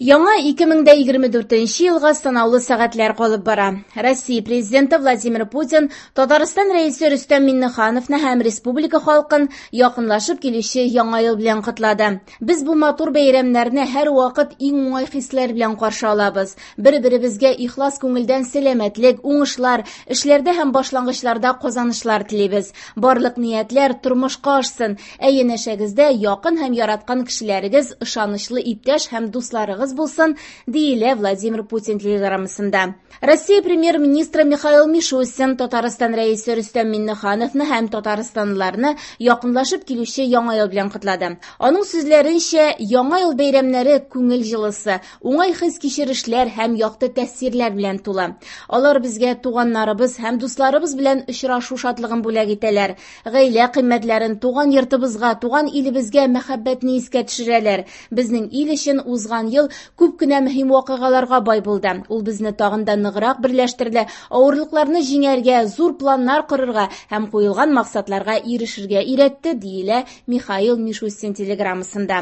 Яңа 2024 елга санаулы сәгатьләр калып бара. Россия Президенты Владимир Путин Татарстан Рәисе Рөстәм Миңнехановны һәм республика халкын якынлашып килүче Яңа ел белән котлады. Без бу матур бәйрәмнәрне һәрвакыт иң уңай хисләр белән каршы алабыз. Бер-беребезгә ихлас күңелдән сәламәтлек, уңышлар, эшләрдә һәм башлангычларда казанышлар телибез. Барлык ниятләр тормышка ашсын, Ә янәшәгездә якын һәм яраткан кешеләрегез, ышанычлы иптәш һәм дусларыгыз булсын, диелә Владимир Путин телеграммасында. Россия премьер-министры Михаил Мишустин Татарстан Рәисе Рөстәм Миңнехановны һәм татарстанлыларны якынлашып килүче Яңа ел белән котлады. Аның сүзләренчә, Яңа ел бәйрәмнәре күңел җылысы, уңай хис-кичерешләр һәм якты тәэсирләр белән тулы. Алар безгә туганнарыбыз һәм дусларыбыз белән очрашу шатлыгын бүләк итәләр. Гаилә кыйммәтләрен, туган йортыбызга, туган илебезгә мәхәббәтне искә төшерәләр. Безнең ил өчен узган ел күп кенә мөһим вакыйгаларга бай булды. Ул безне тагын да ныграк берләштерде, авырлыкларны җиңәргә, зур планнар корырга һәм куелган максатларга ирешергә өйрәтте, диелә Михаил Мишустин телеграммасында.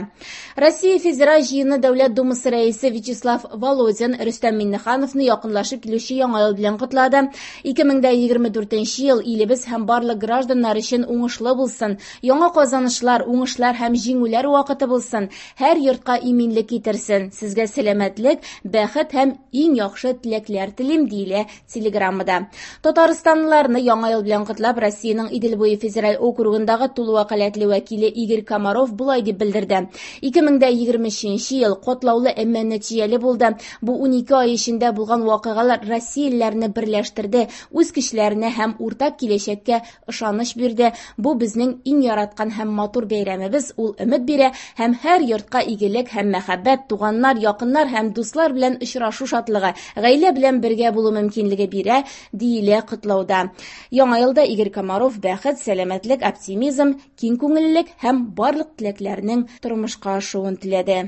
Россия Федераль Җыены Дәүләт Думасы Рәисе Вячеслав Володин Рөстәм Миңнехановны якынлашып килүче Яңа ел белән котлады. 2024 ел илебез һәм барлык гражданнар өчен уңышлы булсын, яңа казанышлар, уңышлар һәм җиңүләр вакыты булсын, һәр йортка иминлек китерсен. Сезгә сәламәтлек, бәхет һәм иң яхшы теләкләр телим, диелә Телеграммада. Татарстанлыларны Яңа ел белән котлап, Россиянең Идел буе федераль округындагы тулы вәкаләтле вәкиле Игорь Комаров болай дип белдерде. 2023 ел катлаулы, әмма нәтиҗәле булды. Бу 12 ай эчендә булган вакыйгалар россиялеләрне берләштерде, үз көчләренә һәм уртак киләчәккә ышаныч бирде. Бу безнең иң яраткан һәм матур бәйрәмебез, ул өмет бирә һәм һәр йортка игелек һәм мәхәббәт, туганнар, якыннар һәм дуслар белән очрашу шатлыгы, гаилә белән бергә булу мөмкинлеге бирә, диелә котлауда. Яңа елда Игорь Комаров бәхет, сәламәтлек, оптимизм, киң күңеллелек һәм барлык теләкләрнең тормышка ашуын теләде.